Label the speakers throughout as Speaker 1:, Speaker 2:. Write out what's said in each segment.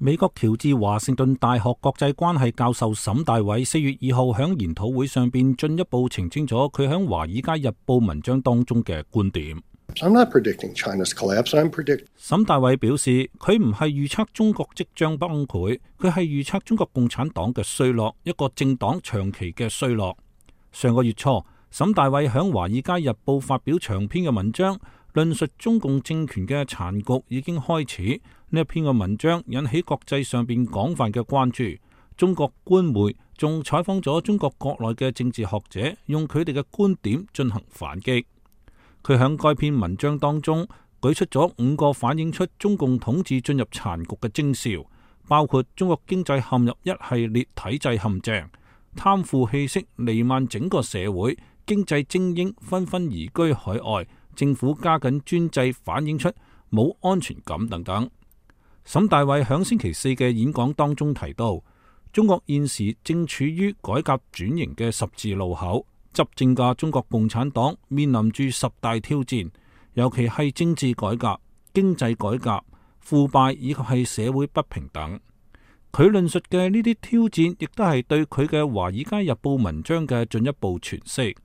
Speaker 1: 美國喬治華盛頓大學國際關係教授沈大偉4月2號喺研討會上邊進一步澄清咗佢喺《華爾街日報》文章當中嘅觀點。沈大偉表示，佢唔係預測中國即將崩潰，佢係預測中國共產黨嘅衰落，一個政黨長期嘅衰落。上個月初，沈大偉喺《華爾街日報》發表長篇嘅文章，論述中共政權嘅殘局已經開始。呢一篇嘅文章引起國際上邊廣泛嘅關注。中國官媒仲採訪咗中國國內嘅政治學者，用佢哋嘅觀點進行反擊。佢喺該篇文章當中舉出咗5個反映出中共統治進入殘局嘅徵兆，包括中國經濟陷入一系列體制陷阱，貪腐氣息彌漫整個社會，經濟精英紛紛移居海外，政府加緊專制反映出冇安全感等等。沈大偉響星期4嘅演講當中提到，中國現時正處於改革轉型嘅十字路口，執政嘅中國共產黨面臨住10大挑戰，尤其係政治改革、經濟改革、腐敗以及係社會不平等。佢論述嘅呢啲挑戰，亦都係對佢嘅《華爾街日報》文章嘅進一步詮釋。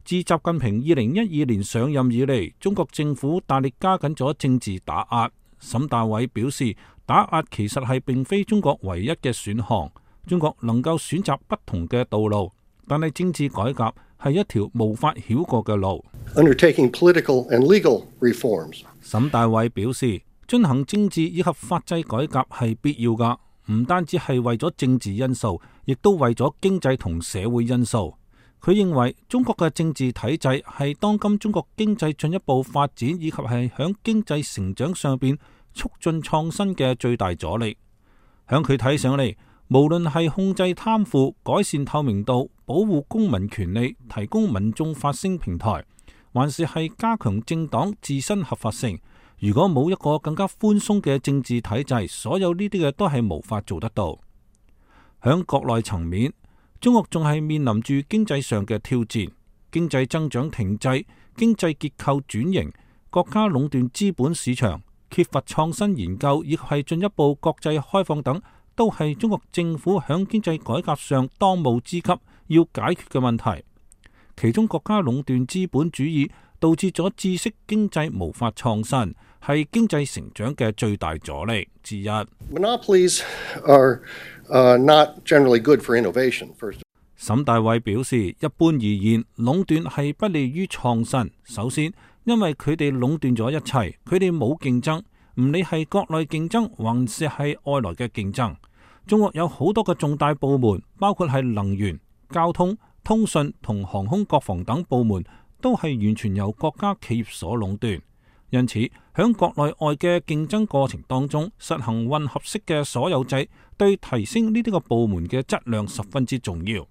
Speaker 1: 自習近平2012年上任以嚟，中國政府大力加緊咗政治打壓。沈大偉表示，打壓其實係並非中國唯一嘅選項，中國能夠選擇不同嘅道路，但係政治改革係一條無法繞過嘅路。
Speaker 2: Undertaking political and legal reforms.
Speaker 1: 沈大偉表示，進行政治以及法制改革係必要㗎，唔單止係為咗政治因素，亦都為咗經濟同社會因素。佢認為中國嘅政治體制係當今中國經濟進一步發展以及係響經濟成長上邊促進創新嘅最大阻力。響佢睇上嚟，無論係控制貪腐、改善透明度、保護公民權利、提供民眾發聲平台，還是係加強政黨自身合法性，如果冇一個更加寬鬆嘅政治體制，所有呢啲嘅都係無法做得到。響國內層面，中國仲係面臨住經濟上嘅挑戰，經濟增長停滯，經濟結構轉型，國家壟斷資本市場，缺乏創新研究，以及係進一步國際開放等，都係中國政府響經濟改革上當務之急要解決嘅問題。其中國家壟斷資本主義導致咗知識經濟無法創新，係經濟成長嘅最大阻力之一。
Speaker 2: Monopolies are not generally good for innovation. First.
Speaker 1: 沈大偉表示，一般而言，壟斷係不利於創新。首先，因為佢哋壟斷咗一切，佢哋冇競爭，唔理係國內競爭還是係外來嘅競爭。中國有好多個重大部門，包括係能源、交通、通訊同航空、國防等部門，都係完全由國家企業所壟斷。因此，響國內外嘅競爭過程當中，實行混合式嘅所有制，對提升呢啲個部門嘅質量十分之重要。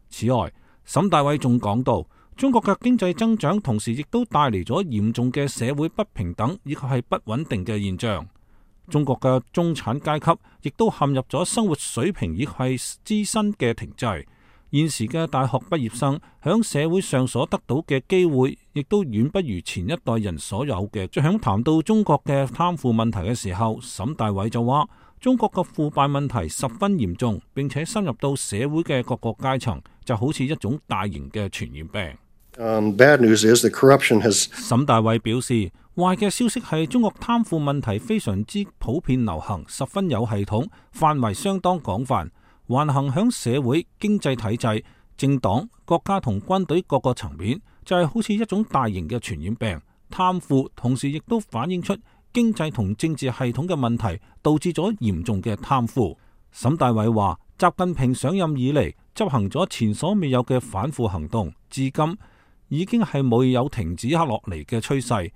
Speaker 1: 此外，沈大偉仲講到，中國嘅經濟增長同時亦都帶嚟咗嚴重嘅社會不平等以及係不穩定嘅現象。中國嘅中產階級亦都陷入咗生活水平以及係自身嘅停滯。現時嘅大學畢業生響社會上所得到嘅機會，亦都遠不如前一代人所有嘅。在響談到中國嘅貪腐問題嘅時候，沈大偉就話：中國嘅腐敗問題十分嚴重，並且深入到社會嘅各個階層，就好似一種大型嘅傳染病。
Speaker 2: Bad news is that corruption has...
Speaker 1: 沈大偉表示，壞嘅消息係中國貪腐問題非常之普遍流行，十分有系統，範圍相當廣泛。橫行響社會、經濟體制、政黨、國家同軍隊各個層面，就係好似一種大型嘅傳染病。貪腐同時亦都反映出經濟同政治系統嘅問題，導致咗嚴重嘅貪腐。沈大偉話，習近平上任以嚟執行咗前所未有嘅反腐行動，至今已經係冇有停止落嚟嘅趨勢。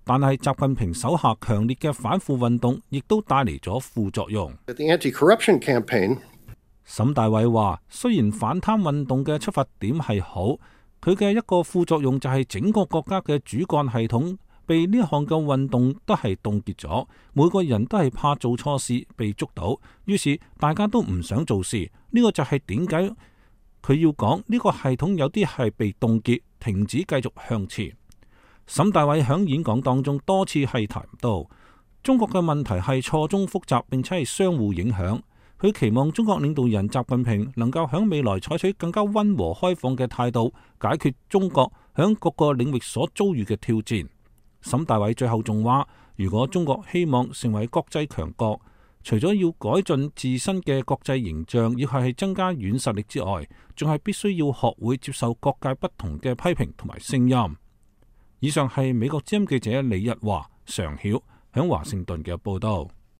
Speaker 1: 但係習近平手下強烈嘅反腐運動，亦都帶嚟咗副作用。
Speaker 2: The anti-corruption campaign...
Speaker 1: 沈大偉話，雖然反貪運動嘅出發點係好，佢嘅一個副作用就係整個國家嘅主幹系統被呢項嘅運動都係凍結咗，每個人都係怕做錯事被捉到，於是大家都唔想做事。呢個就係點解佢要講呢個系統有啲係被凍結，停止繼續向前。沈大偉喺演講當中多次係談到，中國嘅問題係錯綜複雜，並且係相互影響。佢期望中國領導人習近平能夠喺未來採取更加溫和開放嘅態度，解決中國喺各個領域所遭遇嘅挑戰。沈大偉最後仲話，如果中國希望成為國際強國，除咗要改進自身嘅國際形象，要係增加軟實力之外，仲係必須要學會接受各界不同嘅批評同埋聲音。以上係美國之音記者李日華、常曉喺華盛頓嘅報道。